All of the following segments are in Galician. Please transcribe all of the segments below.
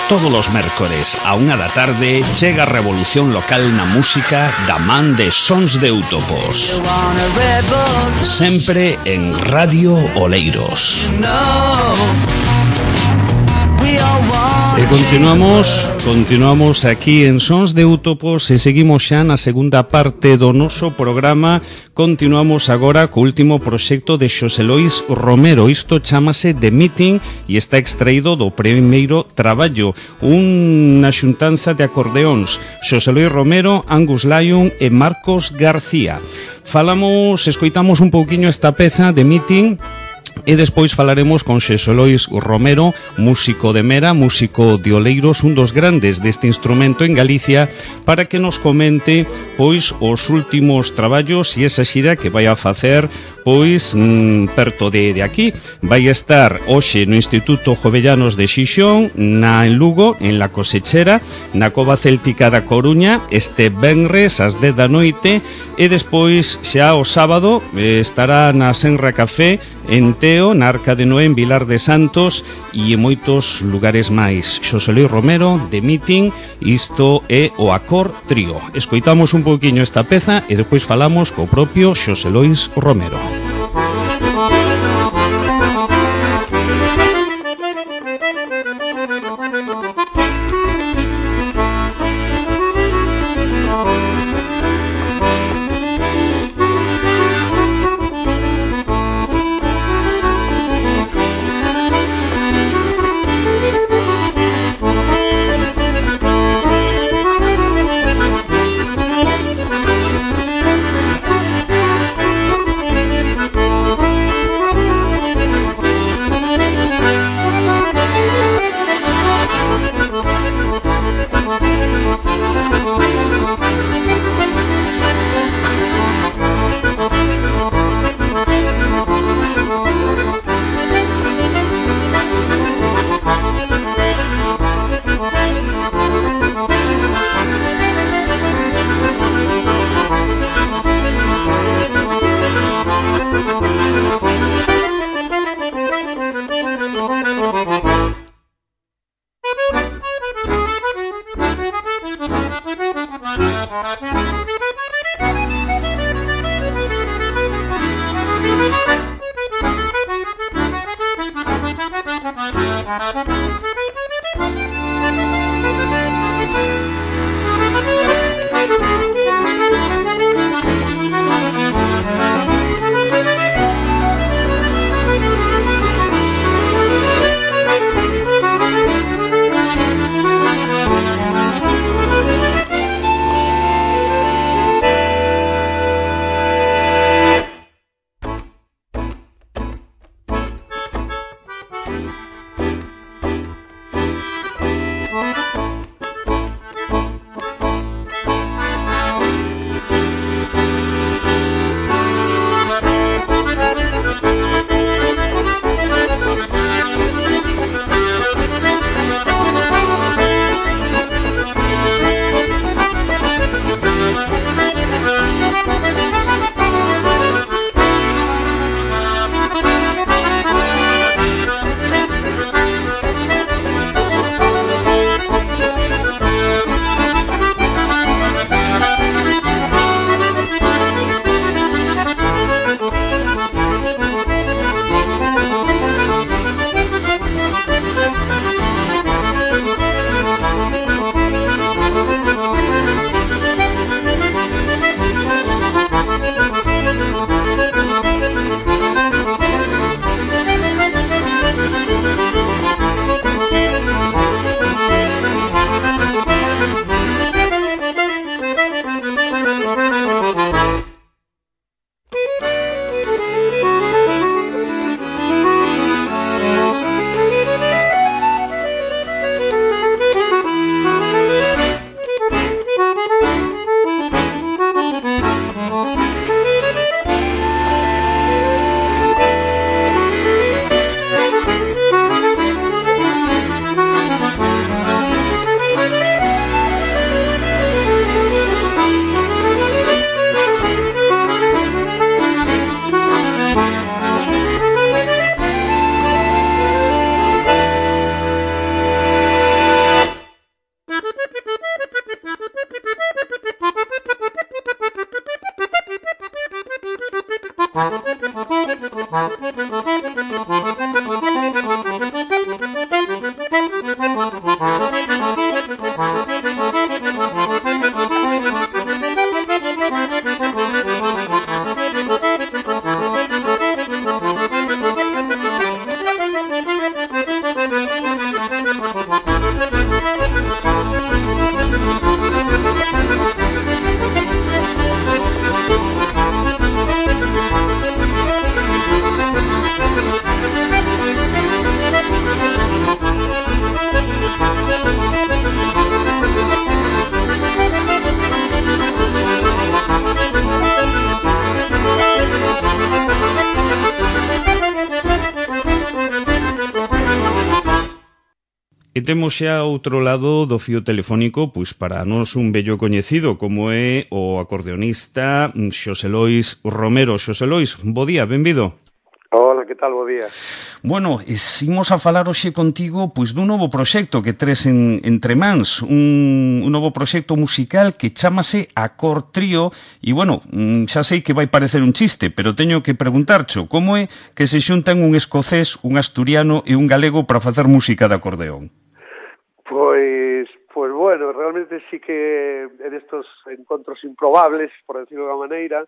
Todos os mércores a 1 da tarde chega a revolución local na música da man de Sons de Útopos. Sempre en Radio Oleiros. E continuamos aquí en Sons de Útopos e seguimos xa na segunda parte do noso programa. Continuamos agora co último proxecto de Xosé Lois Romero. Isto chamase The Meeting e está extraído do primeiro traballo, unha xuntanza de acordeóns, Xosé Lois Romero, Angus Lyon e Marcos García. Escoitamos un pouquiño esta peza, The Meeting, e despois falaremos con Xosé Lois Romero, músico de Mera, músico de Oleiros, un dos grandes deste instrumento en Galicia, para que nos comente pois os últimos traballos e esa xira que vai a facer pois perto de aquí. Vai estar hoxe no Instituto Jovellanos de Xixón, en Lugo, en La Cosechera, na Cova Céltica da Coruña, este venres ás 10 da noite, e despois xa o sábado estará na Senra Café en Teo, na Arca de Noé, en Vilar de Santos e en moitos lugares máis. Xosé Lois Romero, The Meeting, isto é o Acor Trío. Escoitamos un pouquiño esta peza e despois falamos co propio Xosé Lois Romero. E temos xa outro lado do fío telefónico, pois para nós un vello coñecido como é o acordeonista Xosé Lois Romero. Xosé Lois, bo día, benvido. Hola, que tal, bo día. Bueno, imos a falar hoxe contigo pois dun novo proxecto que tres entre mans, un novo proxecto musical que chámase Acor Trío e, bueno, xa sei que vai parecer un chiste, pero teño que preguntarcho como é que se xuntan un escocés, un asturiano e un galego para facer música de acordeón. Pois bueno, realmente sí que en estos encontros improbables, por decirlo de alguma maneira,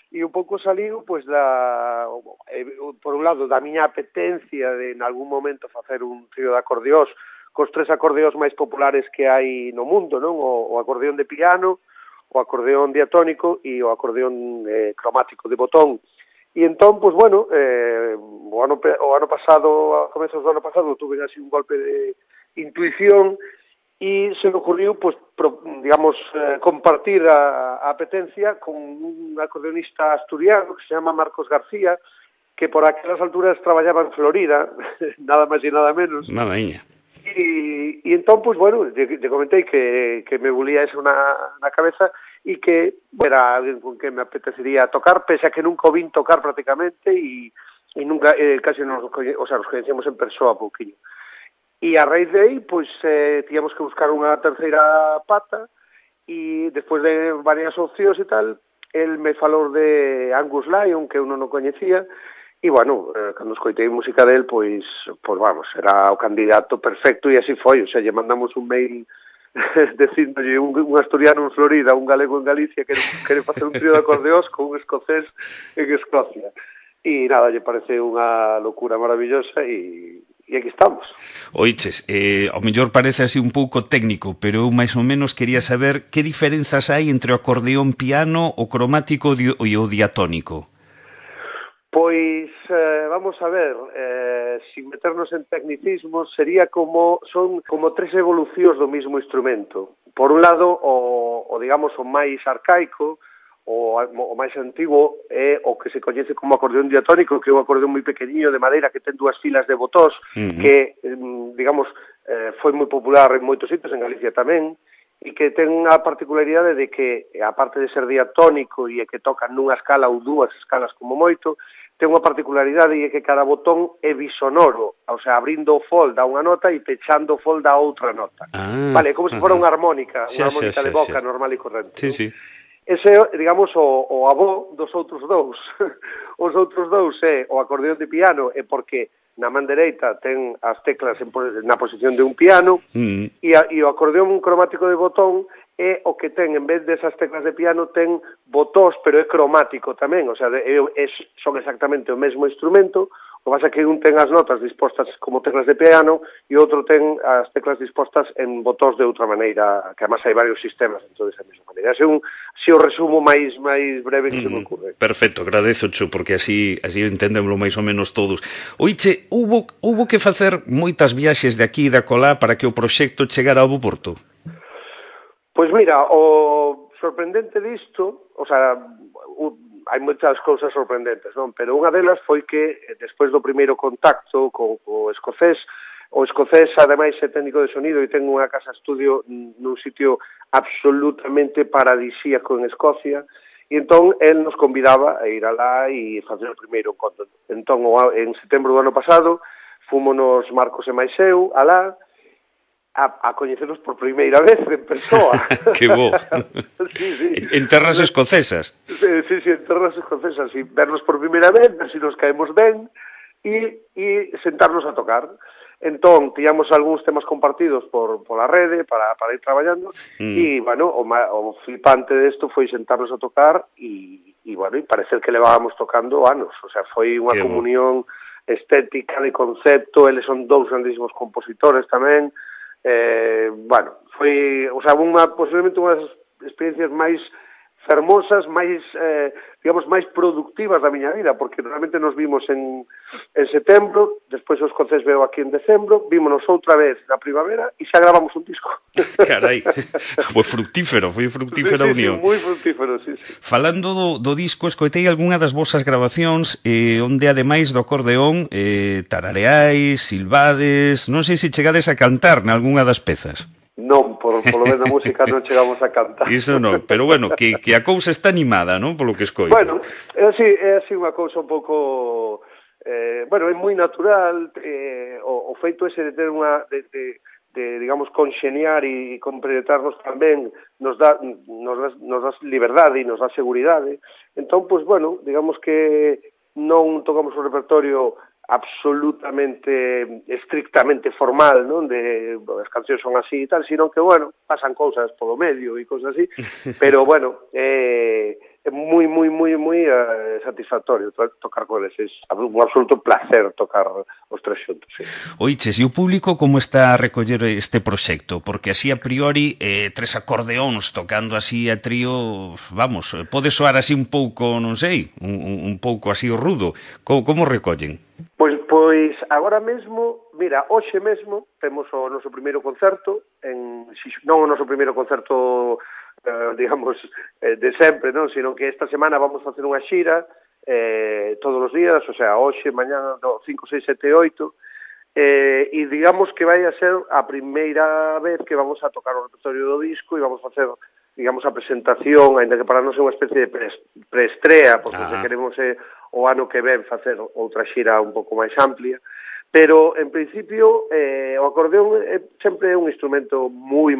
e un pouco saliu, pois, por un lado, da miña apetencia de, en algún momento, facer un trío de acordeós cos tres acordeós máis populares que hai no mundo, non? O acordeón de piano, o acordeón diatónico e o acordeón cromático de botón. E entón, pois, bueno, o ano pasado, a comezos do ano pasado, tuve así un golpe de intuición e se me ocurriu, pues, digamos, compartir a apetencia con un acordeonista asturiano que se llama Marcos García, que por aquelas alturas traballaba en Florida, nada máis e nada menos. Nadaña. E entón, pues, bueno, lle comentei que me bulía eso na cabeza e que era alguén con que me apetecería tocar, pese a que nunca o vin tocar prácticamente e nunca, casi nos coñecemos en persoa pouquinho. E a raíz de aí, pois, tíamos que buscar unha terceira pata e despois de varias opcións e tal, el me falou de Angus Lyon, que eu non o coñecía, e, bueno, cando escoitei música del, pois vamos, era o candidato perfecto e así foi, o sea, lle mandamos un mail dicíndolle un asturiano en Florida, un galego en Galicia, que quere facer un trío de acordeós con un escocés en Escocia. E nada, lle parece unha locura maravillosa e aquí estamos. Oiches, ao mellor parece así un pouco técnico, pero eu máis ou menos quería saber que diferenzas hai entre o acordeón piano, o cromático e o diatónico. Pois, vamos a ver, sin meternos en tecnicismos, son como tres evolucións do mesmo instrumento. Por un lado, o digamos, o máis arcaico, o máis antigo é o que se coñece como acordeón diatónico, que é un acordeón moi pequeniño de madeira que ten dúas filas de botós, que, digamos, foi moi popular en moitos sitios, en Galicia tamén, e que ten a particularidade de que, aparte de ser diatónico e que tocan nunha escala ou dúas escalas como moito, ten unha particularidade e que cada botón é bisonoro, o sea, abrindo o fol da unha nota e pechando o fol da outra nota. Vale, como se fora unha armónica, de boca normal e corrente. Sí, sí. Ese, digamos, o avó dos outros dous. Os outros dous é o acordeón de piano, é porque na man dereita ten as teclas na posición de un piano, e o acordeón cromático de botón é o que ten, en vez desas teclas de piano, ten botós, pero é cromático tamén, o sea, son exactamente o mesmo instrumento, o que pasa é que un ten as notas dispostas como teclas de piano e outro ten as teclas dispostas en botós de outra maneira, que además hai varios sistemas dentro desa mesma maneira. Ese é o resumo máis breve que se me ocurre. Perfecto, agradezocho, porque así entendemoslo máis ou menos todos. Oiche, hubo que facer moitas viaxes de aquí e de acolá para que o proxecto chegara ao bo porto? Pois mira, o sorprendente disto, o sea, hai moitas cousas sorprendentes, non? Pero unha delas foi que, despois do primeiro contacto co escocés, o escocés, ademais, é técnico de sonido e ten unha casa estudio nun sitio absolutamente paradisíaco en Escocia, e entón, el nos convidaba a ir alá e facer o primeiro encontro. Entón, en setembro do ano pasado, fúmonos Marcos e máis eu alá. a coñecernos por primeira vez en persoa. Que bo. Sí. En terras escocesas. Sí, en terras escocesas, y vernos por primeira vez, ver se nos caemos ben, e sentarnos a tocar. Entón, tiñamos algúns temas compartidos pola rede para ir traballando, e, bueno, o flipante desto foi sentarnos a tocar e bueno, e parecer que levábamos tocando anos. O sea, foi unha comunión estética, de concepto, eles son dous grandísimos compositores tamén. Bueno, foi, o sea, posiblemente unha das experiencias máis fermosas, máis, digamos, máis productivas da miña vida, porque realmente nos vimos en setembro, despois os concertos veo aquí en decembro, vímonos outra vez na primavera e xa gravamos un disco. Carai, foi fructífera unión. Sí, moi fructífero, sí. Falando do disco, escoitei algunha das vosas grabacións onde, ademais do acordeón, tarareais, silbades, non sei se chegades a cantar nalgunha das pezas. Non, por lo menos na música non chegamos a cantar. Iso non, pero bueno, que a cousa está animada, non? Polo que escoito. Bueno, é así unha cousa un pouco... bueno, é moi natural o feito ese de ter unha... de digamos, conxeniar e compretarnos tamén nos dá liberdade e nos dá seguridade. Entón, pois, bueno, digamos que non tocamos un repertorio absolutamente, estrictamente formal, non? De as cancións son así e tal, sino que, bueno, pasan cousas polo medio e cousas así, pero, bueno, é moi satisfactorio tocar con eles. É un absoluto placer tocar os tres xuntos, sí. Oiches, e o público como está a recoller este proxecto? Porque así a priori, tres acordeóns tocando así a trío, vamos, pode soar así un pouco, non sei, un pouco así rudo. Como recollen? Pois agora mesmo, mira, hoxe mesmo temos o noso primeiro concerto, non o noso primeiro concerto, digamos, de sempre, non, sino que esta semana vamos facer unha xira todos os días, o sea, hoxe, mañá, 5, 6, 7, 8, e digamos que vai a ser a primeira vez que vamos a tocar o repertorio do disco e vamos a facer, digamos, a presentación, ainda que para nós é unha especie de preestrea, porque se queremos o ano que ven facer outra xira un pouco máis amplia, pero en principio o acordeón sempre é un instrumento moi,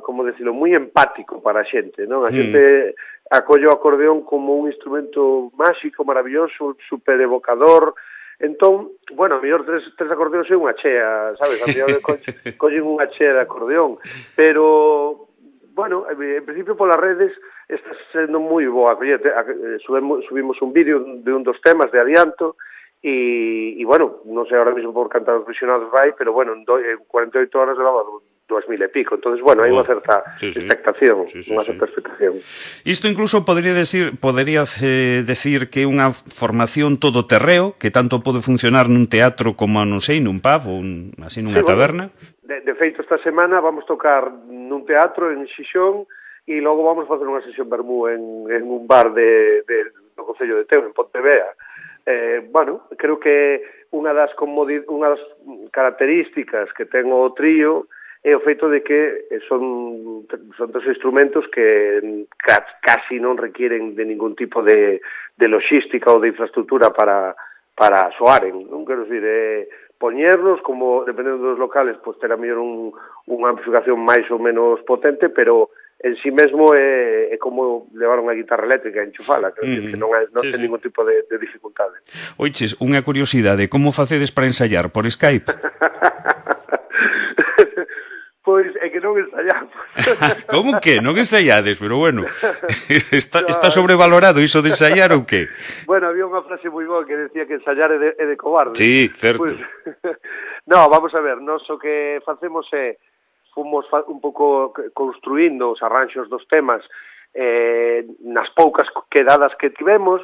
como decirlo, moi empático para a xente, non? A xente acolle o acordeón como un instrumento máxico, maravilloso, super evocador. Entón, bueno, a mellor tres acordeóns é unha chea, sabes? A mellor collen unha chea de acordeón, pero, bueno, en principio polas redes está sendo moi boa. Subimos un vídeo de un dos temas de adianto e bueno, non sei ahora mismo por cantar os visionados vai, pero bueno, en 48 horas levaba 2000 e pico. Entonces, bueno, hai unha certa expectación, unha certa expectación. Isto incluso podría decir que é unha formación todoterreo, que tanto pode funcionar nun teatro como, non sei, nun pub ou así nunha taberna. De feito, esta semana vamos tocar nun teatro en Xixón e logo vamos facer unha sesión vermú en un bar do Concello de Teo, en Pontevea. Bueno, creo que unha das características que ten o trío é o feito de que son tres instrumentos que casi non requieren de ningún tipo de logística ou de infraestructura para soaren, non quero dicir, poñerlos, como, dependendo dos locales, pues terá mellor unha amplificación máis ou menos potente, pero en sí mesmo é como levar unha guitarra eléctrica e enchufala, que non ten ningún tipo de dificultade. Oiches, unha curiosidade, como facedes para ensaiar? Por Skype? Pois é que non ensaiamos. Como que? Non ensaiades? Pero bueno, está sobrevalorado iso de ensaiar ou que? Bueno, había unha frase moi boa que decía que ensaiar é de cobarde. Sí, certo. Pues, no, vamos a ver, nós o que facemos é fomos un pouco construindo os arranxos dos temas nas poucas quedadas que tivemos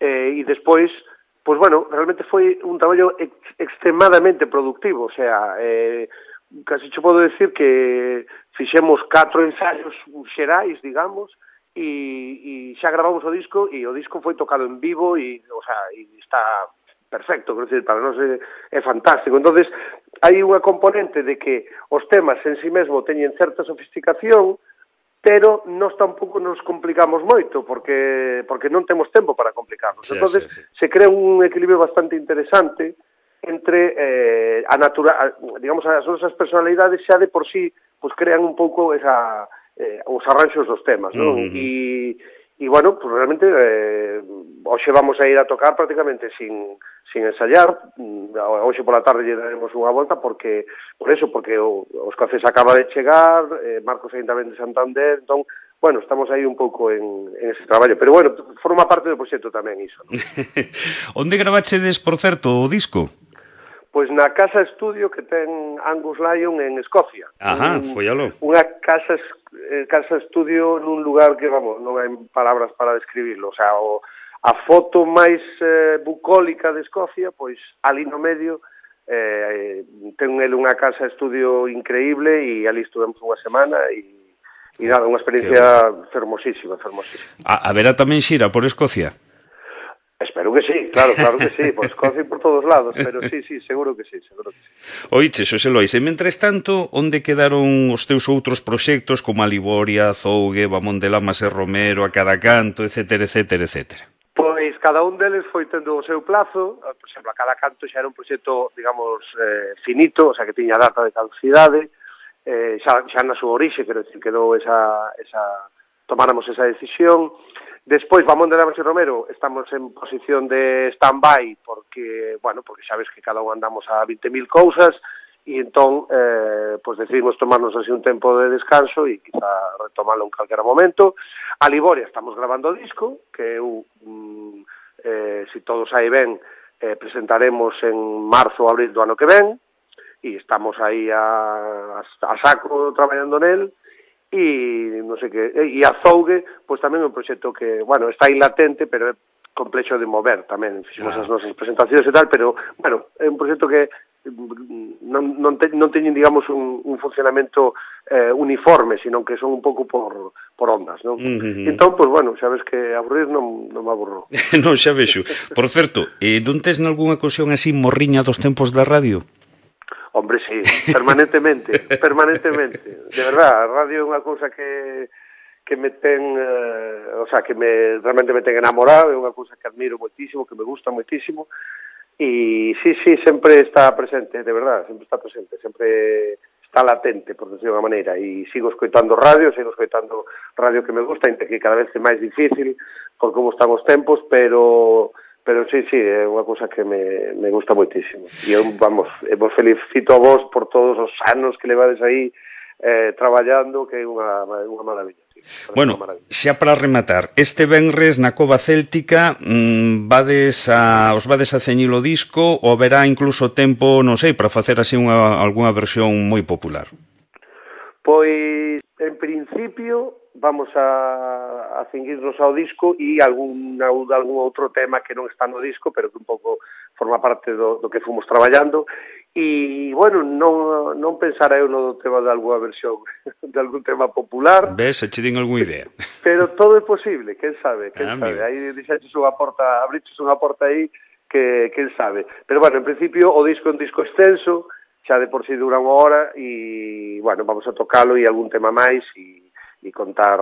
e despois, pois bueno, realmente foi un traballo extremadamente productivo, o sea, casi che podo decir que fixemos 4 ensaios xerais, digamos, e xa gravamos o disco e o disco foi tocado en vivo e, o sea, e está perfecto, quero dicir, para nós é fantástico. Entonces, hai unha componente de que os temas en sí mesmo teñen certa sofisticación, pero nós tampouco nos complicamos moito, porque non temos tempo para complicarnos. Entonces, se crea un equilibrio bastante interesante entre digamos, as nosas personalidades xa de por sí pues crean un pouco os arranxos dos temas, non? E bueno, pues realmente hoxe vamos a ir a tocar prácticamente sin ensayar. Hoxe pola tarde lle daremos unha volta porque os Cafés acaba de chegar, Marcos ainda ven de Santander, entón, bueno, estamos aí un pouco en ese traballo, pero bueno, forma parte do proxecto tamén iso, non? Onde gravachedes, por certo, o disco? Pois na casa estudio que ten Angus Lyon en Escocia. Ajá, follalo. Unha casa estudio nun lugar que, vamos, non hai palabras para describirlo. O sea, a foto máis bucólica de Escocia, pois ali no medio ten ele unha casa estudio increíble e ali estuvemos unha semana e nada, unha experiencia fermosísima. Haberá tamén xira por Escocia? Espero que sí, claro que sí, por Escocia e por todos lados, pero sí, seguro que sí. Oiche, Xosé Lois, e mentres tanto, onde quedaron os teus outros proxectos como a Liboria, Zougue, Bamón de Lamas e Romero, A Cada Canto, etcétera? Pois cada un deles foi tendo o seu plazo. Por exemplo, A Cada Canto xa era un proxecto, digamos, finito, o sea, que tiña data de caducidade, xa na súa orixe, quero dicir, quedou tomáramos esa decisión. Despois, Bamón de Lamas e Romero, estamos en posición de stand-by porque sabes que cada un andamos a 20.000 cousas e entón, pues decidimos tomarnos así un tempo de descanso e quizá retomalo en calquera momento. A Liboria estamos grabando o disco, que se todo sai ben, presentaremos en marzo ou abril do ano que ven, e estamos aí a saco traballando nel. E non sei que, e a Zougue, pois tamén é un proxecto que, bueno, está aí latente, pero é complexo de mover tamén, fixemos as nosas presentacións e tal, pero, bueno, é un proxecto que non teñen, digamos, un funcionamento uniforme, sino que son un pouco por ondas, non? Entón, pois, bueno, xa ves que aburrir non me aburro. Non, xa vexo. Por certo, non tes nalgúna ocasión así morriña dos tempos da radio? Hombre, sí, permanentemente. De verdad, a radio é unha cousa que me ten, realmente me ten enamorado, é unha cousa que admiro moitísimo, que me gusta moitísimo, e sí, sempre está presente, de verdad, sempre está presente, sempre está latente, por decirlo de unha maneira, e sigo escoitando radio que me gusta, ainda que cada vez é máis difícil, por como están os tempos, pero sí, é unha cousa que me gusta moitísimo. E eu, vos felicito a vos por todos os anos que levades aí traballando, que é unha maravilla. Sí, bueno, xa para rematar, este venres na Cova Céltica os vades a ceñir o disco ou haberá incluso tempo, non sei, para facer así algunha versión moi popular? Pois, en principio, vamos a cinguirnos ao disco e algún outro tema que non está no disco, pero que un pouco forma parte do que fomos traballando. E, bueno, non pensara eu no tema de algunha versión de algún tema popular. Ves, se che din algunha idea. Pero todo é posible, quen sabe. Aí abriches unha porta aí que quen sabe. Pero, bueno, en principio, o disco é un disco extenso, xa de por si dura unha hora, e, bueno, vamos a tocalo e algún tema máis e contar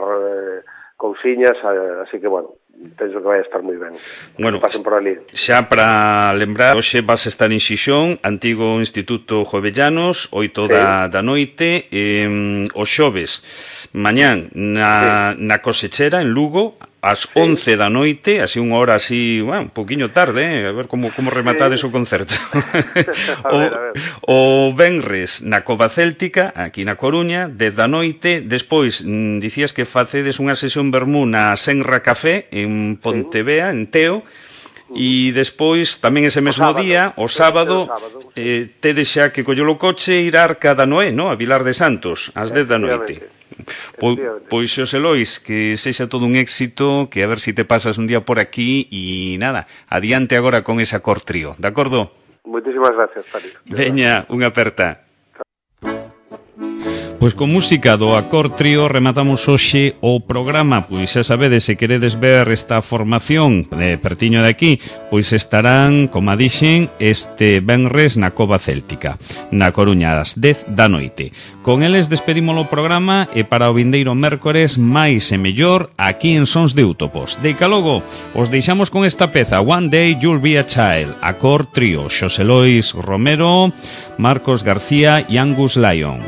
cousiñas, así que, bueno, penso que vai estar moi ben. Bueno, pasen por ali. Xa para lembrar, hoxe vas a estar en Xixón, antigo Instituto Jovellanos, 8 da noite, os xoves, mañán na Cosechera, en Lugo, ás 11 da noite, así unha hora así, bueno, un poquinho tarde, a ver como rematades o concerto. A ver. O venres na Cova Céltica, aquí na Coruña, 10 da noite, despois dicías que facedes unha sesión vermú na Senra Café, en Pontevea, en Teo, e despois, tamén ese mesmo día, o sábado, tedes xa que coller o coche e ir a Arca da Noé, no? A Vilar de Santos, ás 10 da noite. Pois, Xosé Lois, que sexa todo un éxito, que a ver si te pasas un día por aquí e nada, adiante agora con esa Cor Trío, de acordo? Moitísimas gracias, Tari. Veña, unha aperta. Pois con música do Accord Trío rematamos hoxe o programa. Pois xa sabedes, se queredes ver esta formación pertiño de aquí, pois estarán, como dixen, este venres na Cova Céltica, na Coruña, ás 10 da noite. Con eles despedimos o programa e para o vindeiro mércores máis e mellor aquí en Sons de Útopos. Deica logo, os deixamos con esta peza, One Day You'll Be a Child, Accord Trío, Xosé Lois Romero, Marcos García e Angus Lyon.